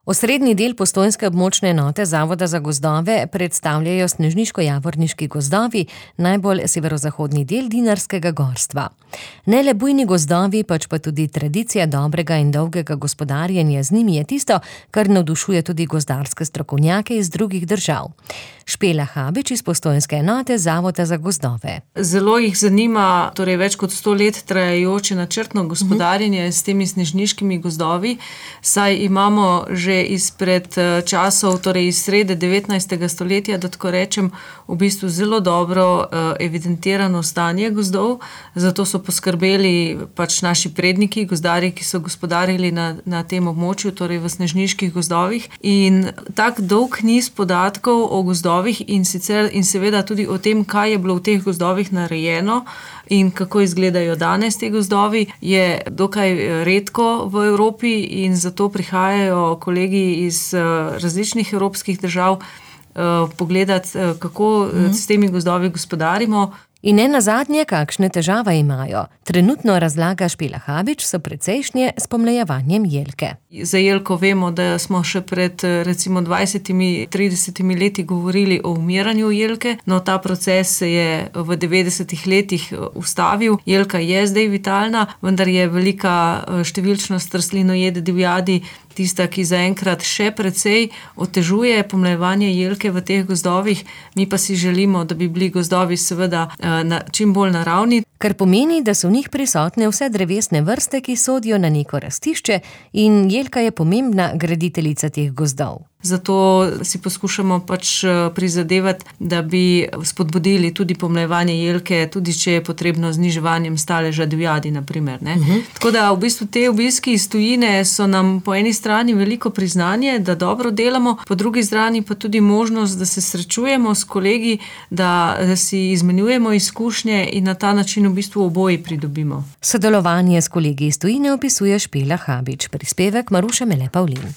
Osrednji del postojnske območne enote Zavoda za gozdove predstavljajo snežniško-javorniški gozdovi, najbolj severozahodni del Dinarskega gorstva. Ne le bujni gozdovi, pač pa tudi tradicija dobrega in dolgega gospodarjenja z njimi je tisto, kar navdušuje tudi gozdarske strokovnjake iz drugih držav. Špela Habič iz postojnske enote Zavoda za gozdove. Zelo jih zanima več kot 100 let trajajoče načrtno gospodarjenje s temi snežniškimi gozdovi, saj imamo že izpred časov, iz srede 19. stoletja, da tako rečem, v bistvu zelo dobro evidentirano stanje gozdov, zato so poskrbeli naši predniki, gozdarji, ki so gospodarili na tem območju, v snežniških gozdovih. In tak dolg niz podatkov o gozdovih in seveda tudi o tem, kaj je bilo v teh gozdovih narejeno in kako izgledajo danes te gozdovi, je dokaj redko v Evropi in zato prihajajo kolegi iz različnih evropskih držav pogledati, kako s temi gozdovi gospodarimo. In ne nazadnje, kakšne težave imajo. Trenutno, razlaga Špela Habič, so precejšnje s pomlajevanjem jelke. Za jelko vemo, da smo še pred recimo 20-30 leti govorili o umiranju jelke, no ta proces se je v 90-ih letih ustavil. Jelka je zdaj vitalna, vendar je velika številčnost rastlinojede divjadi tista, ki zaenkrat še precej otežuje pomlajevanje jelke v teh gozdovih. Mi pa si želimo, da bi bili gozdovi seveda čim bolj naravni. Kar pomeni, da so v njih prisotne vse drevesne vrste, ki sodijo na neko rastišče, in jelka je pomembna graditeljica teh gozdov. Zato si poskušamo prizadevati, da bi spodbudili tudi pomlajevanje jelke, tudi če je potrebno zniževanjem staleža divjadi, na primer. Tako da v bistvu te obiski iz tujine so nam po eni strani veliko priznanje, da dobro delamo, po drugi strani pa tudi možnost, da se srečujemo s kolegi, da si izmenjujemo izkušnje in na ta način v bistvu oboji pridobimo. Sodelovanje s kolegi iz tujine opisuje Špela Habič, prispevek Maruše Mele Pavlin.